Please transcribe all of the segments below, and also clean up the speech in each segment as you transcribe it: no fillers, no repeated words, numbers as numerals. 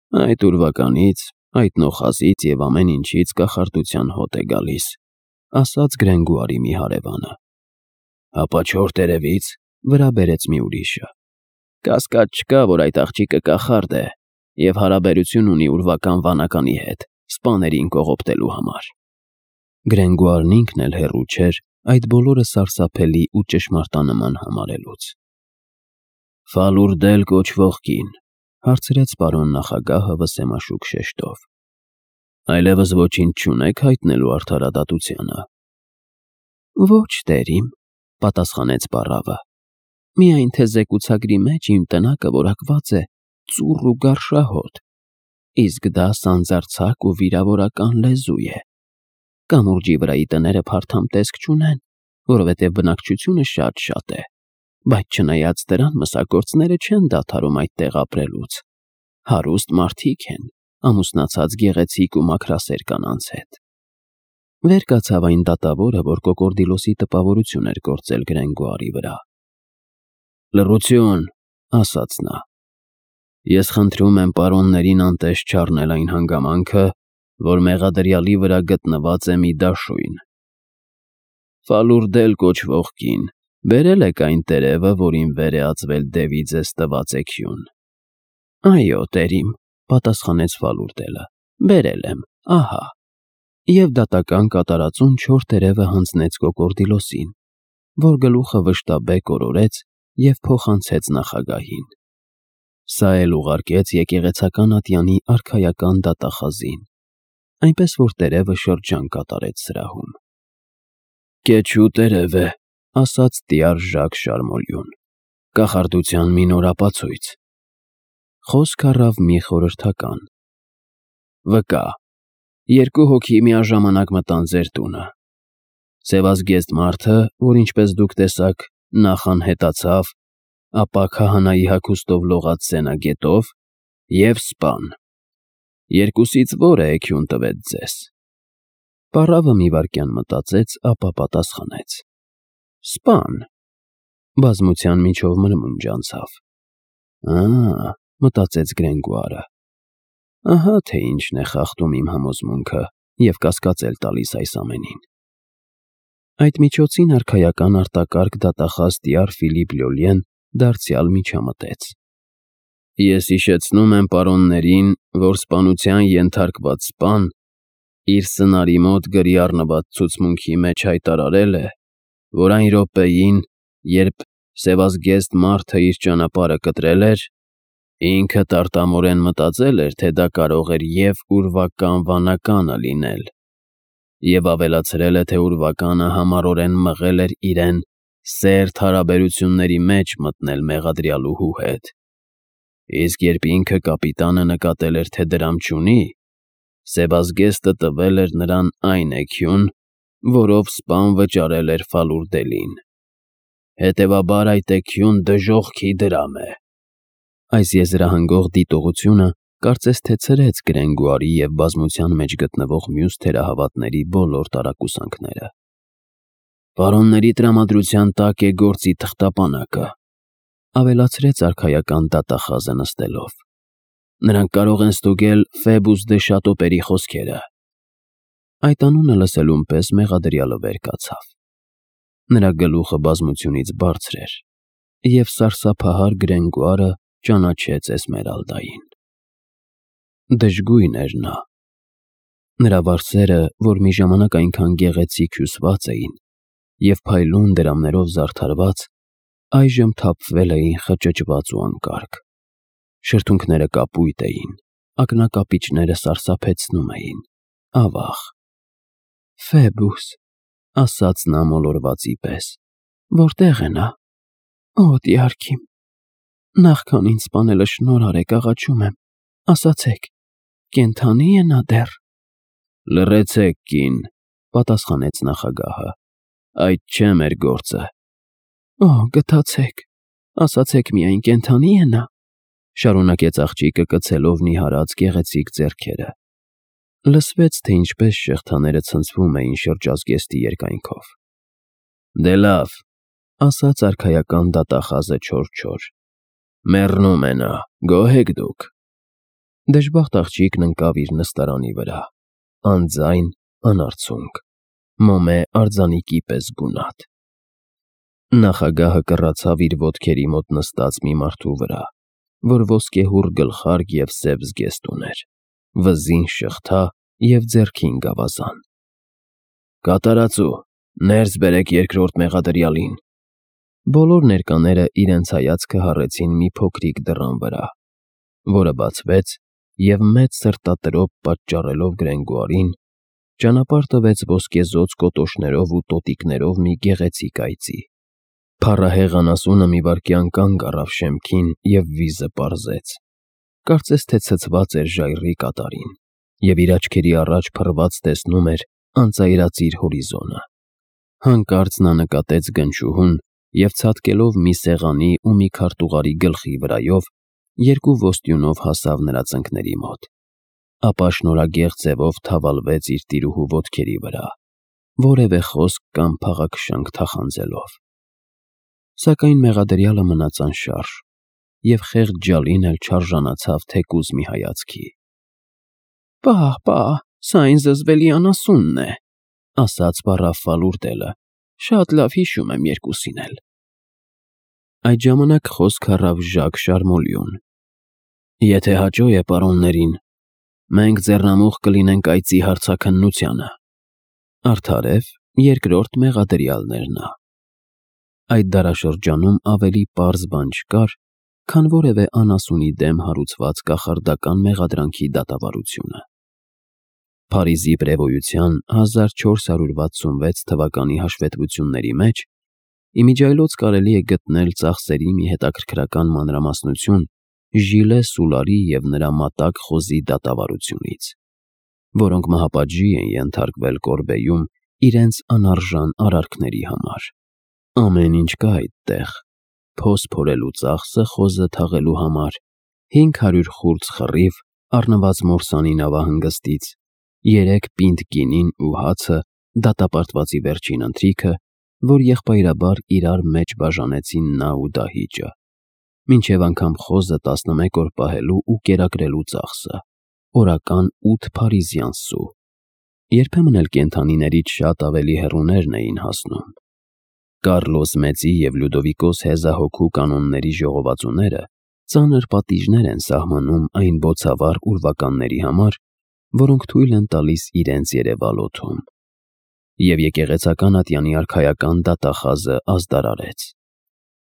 Այդ ուրվականից, այդ նոխազից և ամեն ինչից կախարդության հոտ է գալիս, ասաց Գրենգուարի մի հարևանը։ Հապա չոր տերևից, վրա բերեց մի ուրիշը։ Կասկած չկա, որ այդ աղջիկը կախարդ է և հարաբերություն ունի ուրվական վանականի հետ, սպաներին կողոպտելու համար։ Գրենգուարն ինքն էլ հեռու չէր այդ բոլորը սարսափելի ու ճշմարտանման համարելուց։ Ֆալուրդել կոչվող կին, հարցրեց պարոն նախագահը վսեմաշուք շեշտով։ Այլևս ոչինչ չունեք հայտնելու արդարադատությանը։ Ոչ, տերիմ, պատասխանեց պառավը։ Միայն թե զեկուցագրի մեջ իմ տնակը որակված է ծուռ ու գարշահոտ, իսկ դա սանձարձակ ու վիրավորական լեզու է։ Կամուրջի վրայի տները փարթամ տեսք չունեն, որովհետև բնակչությունը շատ է, բայց չնայած դրան մսագործները չեն դադարում այդտեղ ապրելուց։ Հարուստ մարդիկ են, ամուսնացած գեղեցիկ ու մաքրասեր կանանց հետ։ Վեր կացավ այն դատավորը, որ կոկորդիլոսի տպավորություն էր գործել Գրենգուարի վրա։ Լռություն, ասաց նա։ Ես խնդրում եմ պարոններին անտես չառնել այն հանգամանքը, որ մեղադրյալի վրա գտնված է մի դաշույն։ Ֆալուրդել կոչվող կին, բերել եք այն տերևը, որին վեր է ածվել դևի ձեզ տված էգյուն։ Այո, տերիմ, պատասխանեց Ֆալուրդելը, բերել եմ, ահա։ Եվ դատական կատարածուն չոր տերևը հանձնեց կոկորդիլոսին, որ գլուխը վշտաբեկ օրորեց և փոխանցեց նախագահին։ Սա էլ ուղարկեց եկեղեցական ատյանի արքայական դատախազին, այնպես որ տերևը շրջան կատարեց սրահում։ Կեչու տերև է, ասաց տյար Ժակ Շարմոլյուն, կախարդության մի նոր ապացույց։ Խոսք առավ մի խորհրդական։ Վկա, երկու հոգի միաժամանակ մտան ձեր տունը։ Սևազգեստ մարդը, որ ինչպես դուք տեսաք, նախ անհետացավ, ապա քահանայի հագուստով լողաց սենագետով և սպան։ Երկուսից որը էգյուն տվեց ձեզ։ Պառավը մի վայրկյան մտածեց, ապա պատասխանեց. Սպան։ Բազմության միջով մրմունջ անցավ։ Մտածեց Գրենգուարը։ Ահա թե ինչն է խախտում իմ համոզմունքը և կասկածել տալիս այս ամենին։ Այդ միջոցին արքայական արտակարգ դատախազ տյար Ֆիլիպ Լյոլիեն դարձյալ միջամտեց։ Ես հիշեցնում եմ պարոններին, որ սպանության ենթարկված սպան իր սնարի մոտ գրի առնված ցուցմունքի մեջ հայտարարել է, որ այն րոպեին, երբ սևազգեստ մարդը իր ճանապարհը կտրել էր, ինքը տարտամորեն մտածել էր, թե դա կարող էր և ուրվական վանականը լինել, և ավելացրել է, թե ուրվականը համառորեն մղել էր իրեն սերտ հարաբերությունների մեջ մտնել մեղադրյալուհու հետ, իսկ երբ ինքը կապիտանը նկատել էր, թե դրամ չունի, Սևազգեստը տվել էր նրան այն էգյուն, որով սպան վճարել էր Ֆալուրդելին։ Հետևաբար այդ էգյուն դժոխքի դրամ է։ Այս եզրահանգող դիտողությունը կարծես թե ցրեց Գրենգուարի և բազմության մեջ գտնվող մյուս թերահավատների բոլոր տարակուսանքները։ Պարոնների տրամադրության տակ է գործի թղթապանակը, ավելացրեց արքայական դատախազը նստելով։ Նրանք կարող են ստուգել Ֆեբուս դե Շատոպերի խոսքերը։ Այդ անունը լսելուն պես մեղադրյալը վեր կացավ։ Նրա գլուխը բազմությունից բարձր էր, և սարսափահար Գրենգուարը ճանաչեց Էսմերալդային։ Դժգույն էր նա։ Նրա վարսերը, որ մի ժամանակ այնքան գեղեցիկ հյուսված էին և փայլուն դրամներով զարդարված, այժմ թափվել էին խճճված ու անկարգ։ Շրթունքները կապույտ էին, ակնակապիճները սարսափեցնում էին, ավաղ։ Ֆեբուս, ասաց նա մոլորվածի պես, որտե՞ղ է նա։ Օ, դյարքիմ, նախքան ինձ սպանելը շնորհ արեք, աղաչում եմ, ասացեք, կենդանի՞ է նա դեռ։ Լռեցեք, կին, պատասխանեց նախագահը, այդ չէ մեր գործը։ Օ, գթացեք, ասացեք միայն, կենդանի՞ է նա, շարունակեց աղջիկը կցելով նիհարած գեղեցիկ ձեռքերը։ Լսվեց, թե ինչպես շղթաները ցնցվում էին շրջազգեստի երկայնքով։ Դե լավ, ասաց արքայական դատախազը չոր-չոր, մեռնում է նա, գոհ եք դուք։ Դժբախտ աղջիկն ընկավ իր նստարանի վրա, անձայն, անարցունք, մոմե արձանիկի պես գունատ։ Նախագահը կռացավ իր ոտքերի մոտ նստած մի մարդու վրա, որ ոսկեհուռ գլխարկ և սև զգեստ ուներ, վզին շղթա և ձեռքին գավազան։ Կատարածու, ներս բերեք երկրորդ մեղադրյալին։ Բոլոր ներկաները իրենց հայացքը հառեցին մի փոքրիկ դռան վրա, որը բացվեց և մեծ սրտատրոփ պատճառելով Գրենգոարին, ճանապարհ տվեց ոսկեզօծ կոտոշներով ու տոտիկներով մի գեղեցիկ այծի։ Փառահեղ անասունը մի վայրկյան կանգ առավ շեմքին և վիզը պարզեց, կարծես թե ցցված էր ժայռի կատարին, և իր աչքերի առաջ փռված տեսնում էր անծայրածիր հորիզոնը։ Հանկարծ նա նկատեց գնչուհուն և ցատկելով մի սեղանի ու մի քարտուղարի գլխի վրայով, երկու ոստյունով հասավ նրա ծնկների մոտ, ապա շնորհագեղ ձևով թավալվեց իր տիրուհու ոտքերի վրա, որևէ խոսք կամ փաղաքշանք թախանձելով։ Սակայն մեղադրյալը մնաց անշարժ, և խեղճ ջալին էլ չարժանացավ թեկուզ մի հայացքի։ Պահ, սա այն զզվելի անասունն է, ասաց վառավ Ֆալուրդելը, շատ լավ հիշում եմ երկուսին էլ։ Այդ ժամանակ խոսք առավ Ժակ Շարմոլիուն։ Եթե հաճո է պարոններին, մենք ձեռնամուխ կլինենք այծի հարցաքննությանը։ Արդարև երկրորդ մեղադրյալն էր նա։ Այդ դարաշրջանում ավելի պարզ բան չկար, քան որևէ անասունի դեմ հարուցված կախարդական մեղադրանքի դատավարությունը։ Փարիզի պրևոյության 1466 թվականի հաշվետվությունների մեջ իմիջիայլոց կարելի է գտնել ծախսերի մի հետաքրքրական մանրամասնություն Ժիլե Սուլարի և նրա մատակ խոզի դատավարությունից, որոնք մահապատժի են ենթարկվել Կորբեյում իրենց անարժան արարքների համար։ Ամեն ինչ կա այդտեղ. փոս փորելու ծախսը խոզը թաղելու համար, 500 խուրձ խռիվ առնված մորսանի նավահանգստից, 3 պինդ գինին ու հացը դատապարտվածի վերջին ընթրիքը, որ եղբայրաբար իրար մեջ բաժանեցին նա ու դահիճը, մինչև անգամ խոզը 11 օր պահելու ու կերակրելու ծախսը, օրական 8 փարիզյան սու։ Երբեմն էլ կենդանիներից շատ ավելի հեռուներն էին հասնում։ Կարլոս Մեծի և Լյուդովիկոս Հեզահոգու կանոնների ժողովածուները ծանր պատիժներ են սահմանում այն բոցավառ ուրվականների համար, որոնք թույլ են տալիս իրենց երևալ օդում։ Եվ եկեղեցական ատյանի արքայական դատախազը ազդարարեց.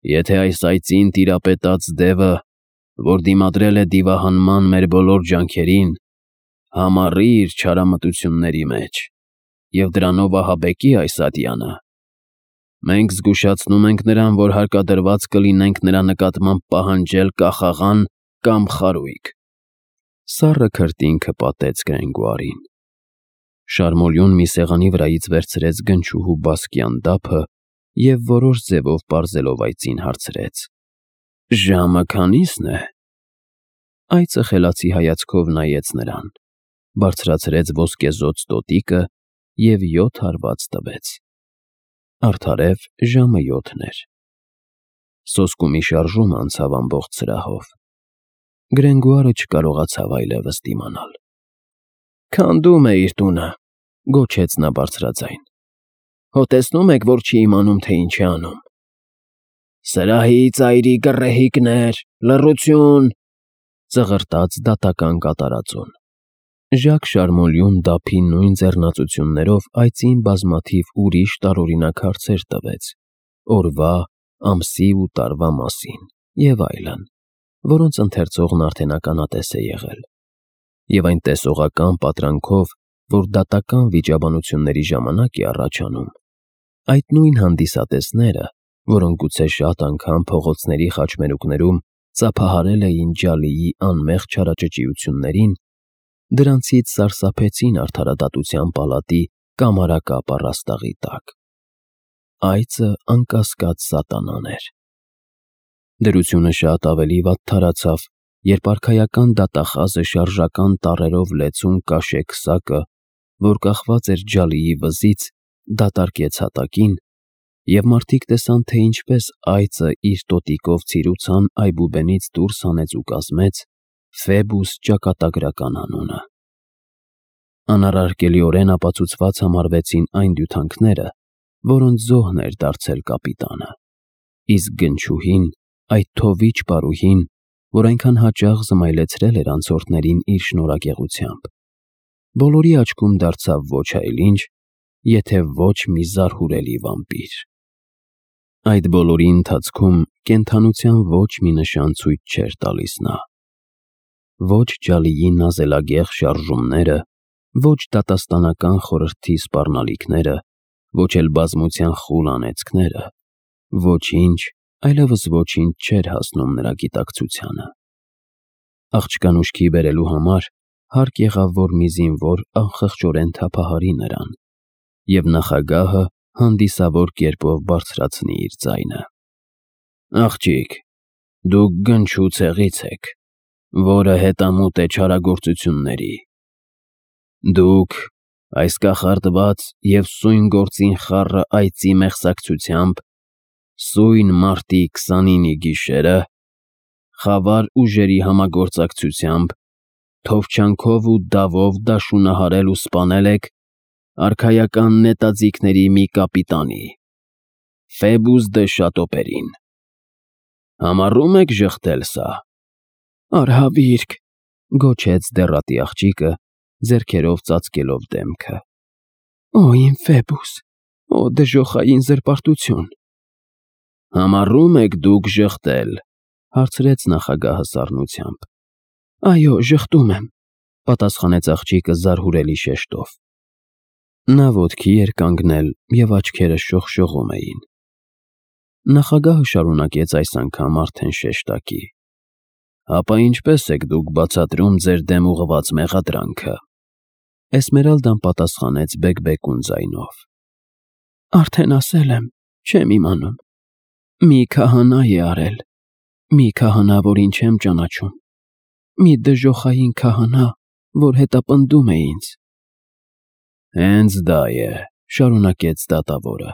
Եթե այս այծին տիրապետած դևը, որ դիմադրել է դիվահանման մեր բոլոր ջանքերին, համառի իր չարամտությունների մեջ և դրանով ահաբեկի այս ատյանը, մենք զգուշացնում ենք նրան, որ հարկադրված կլինենք նրա նկատմամբ պահանջել կախաղան կամ խարույկ։ Սառը քրտինքը պատեց Գրենգոարին։ Շարմոլյուն մի սեղանի վրայից վերցրեց գնչուհու բասկյան դափը և որոշ ձևով պարզելով այծին հարցրեց. Ժամը քանի՞սն է։ Այծը խելացի հայացքով նայեց նրան, բարձրացրեց ոսկեզօծ տոտիկը և 7 հարված տվեց։ Արդարև ժամը 7 էր։ Սոսկումի շարժումը անցավ ամբողջ սրահով։ Գրենգոարը չկարողացավ այլևս դիմանալ։ Քանդում է իր տունը, գոչեց նա բարձրաձայն։ Հո տեսնում եք, որ չի իմանում, թե ինչ է անում։ Սրահի ծայրի գռեհիկներ, լռություն, ծղրտաց դատական կատարածուն։ Ժակ Շարմոլյուն դափի նույն ձեռնացություններով այծին բազմաթիվ ուրիշ տարօրինակ հարցեր տվեց օրվա, ամսի ու տարվա մասին և այլն, որոնց ընթերցողն արդեն ականատես է եղել, և այն տեսողական պատրանքով, որ դատական վիճաբանությունների ժամանակ է առաջանում, այդ նույն հանդիսատեսները, որոնք գուցե շատ անգամ փողոցների խաչմերուկներում ծափահարել էին ջալիի անմեղ չարաճճիություններին, դրանցից սարսափեցին արդարադատության պալատի կամարակապ առաստաղի տակ։ Այծը անկասկած սատանան էր։ Դրությունը շատ ավելի վատթարացավ, երբ արքայական դատախազը շարժական տառերով լեցուն կաշե քսակը, որ կախված էր ջալիի վզից, դատարկեց հատակին, և մարդիկ տեսան, թե ինչպես այծը իր տոտիկով ցիրուցան այբուբենից դուրս հանեց ու կազմեց, Ֆեբուս ճակատագրական անունը։ Անառարկելիորեն ապացուցված համարվեցին այն դյութանքները, որոնց զոհն էր դարձել կապիտանը, իսկ գնչուհին, այդ թովիչ պարուհին, որ այնքան հաճախ զմայլեցրել էր անցորդներին իր շնորհակեղությամբ, բոլորի աչքում դարձավ ոչ այլ ինչ, եթե ոչ մի զարհուրելի վամպիր։ Այդ բոլորի ընթացքում կենդանության ոչ մի նշան ցույց չէր տալիս նա։ Ոչ ջալիի նազելագեղ շարժումները, ոչ դատաստանական խորհրդի սպառնալիքները, ոչ էլ բազմության խուլ անեծքները, ոչինչ, այլևս ոչինչ չէր հասնում նրա գիտակցությանը։ Աղջկան ուշքի բերելու համար հարկ եղավ, որ մի զինվոր անխղճորեն թափահարի նրան, և նախագահը հանդիսավոր կերպով բարձրացնի իր ձայնը։ «Աղջիկ, դուք գնչու ցեղից եք, որը հետամուտ է չարագործությունների։ Դուք, այս կախարդված և սույն գործին խառը այծի մեղսակցությամբ, սույն մարտի 29-ի գիշերը, խավար ուժերի համագործակցությամբ, թովչանքով ու դավով դաշունահարել ու սպանել եք արքայական նետաձիգների մի կապիտանի՝ Ֆեբուս դը Շատոպերին։ Համառո՞ւմ եք ժխտել սա»։ «Արհավիրք», գոչեց դեռատի աղջիկը, ձեռքերով ծածկելով դեմքը։ «Օ իմ Ֆեբուս, օ դժոխային զրպարտություն»։ «Համառո՞ւմ եք դուք ժխտել», հարցրեց նախագահը սառնությամբ։ «Այո, ժխտում եմ», պատասխանեց աղջիկը զարհուրելի շեշտով։ Նա ոտքի էր կանգնել, և աչքերը շողշողում էին։ Նախագահը շարունակեց այս անգամ արդեն շեշտակի. «Ապա ինչպե՞ս եք դուք բացատրում ձեր դեմ ուղղված մեղադրանքը»։ Էսմերալդան պատասխանեց բեկբեկուն ձայնով. «Արդեն ասել եմ, չեմ իմանում։ Մի քահանա է արել, մի քահանա, որին չեմ ճանաչում, մի դժոխային քահանա, որ հետապնդում է ինձ»։ «Հենց դա է», շարունակեց դատավորը,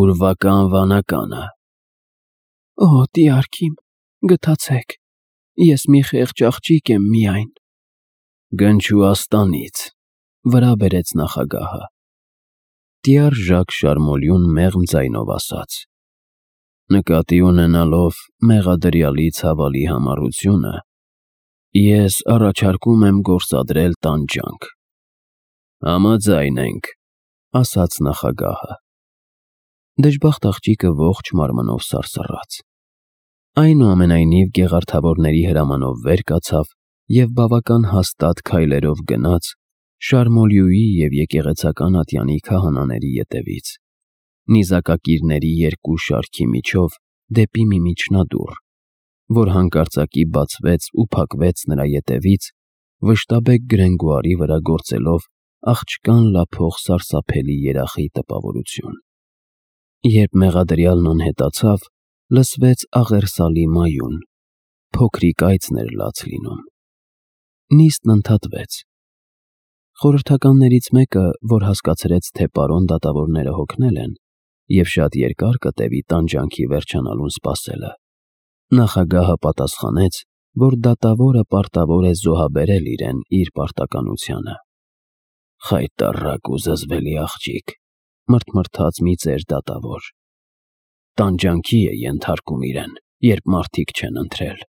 «ուրվական վանականը»։ «Օ տյարք իմ, գթացեք, ես մի խեղճ աղջիկ եմ միայն»։ «Գնչու աստանից», վրա բերեց նախագահը։ Տյառ Շարմոլյուն մեղմ ձայնով ասաց. «Նկատի ունենալով մեղադրյալի ցավալի համառությունը, ես առաջարկում եմ գործադրել տանջանք»։ «Համաձայն ենք», ասաց նախագահը։ Դժբախտ աղջիկը ողջ մարմնով սարսռաց։ Այնուամենայնիվ գեղարդավորների հրամանով վեր կացավ և բավական հաստատ քայլերով գնաց Շարմոլյուի և եկեղեցական ատյանի քահանաների ետևից, նիզակակիրների երկու շարքի միջով դեպի մի միջնադուռ, որ հանկարծակի բացվեց ու փակվեց նրա ետևից, վշտաբեկ գրենգուարի վրա գործելով աղջկան լափող սարսափելի երախի տպավորություն։ Երբ մեղադրյալն անհետացավ, լսվեց աղերսալի մայուն, փոքրիկ այծն էր լաց լինում։ Նիստն ընդհատվեց։ Խորհրդականներից մեկը, որ հասկացրեց, թե պարոն դատավորները հոգնել են, և շատ երկար կտևի տանջանքի վերջանալուն սպասելը, նախագահը պատասխանեց, որ դատավորը պարտավոր է զոհաբերել իրեն իր պարտականությանը։ «Խայտառակ ու զզվելի աղջիկ», մռթմռթաց մի ծեր դատավոր, «տանջանքի է ենթարկում իրեն, երբ մարդիկ չեն ընթրել»։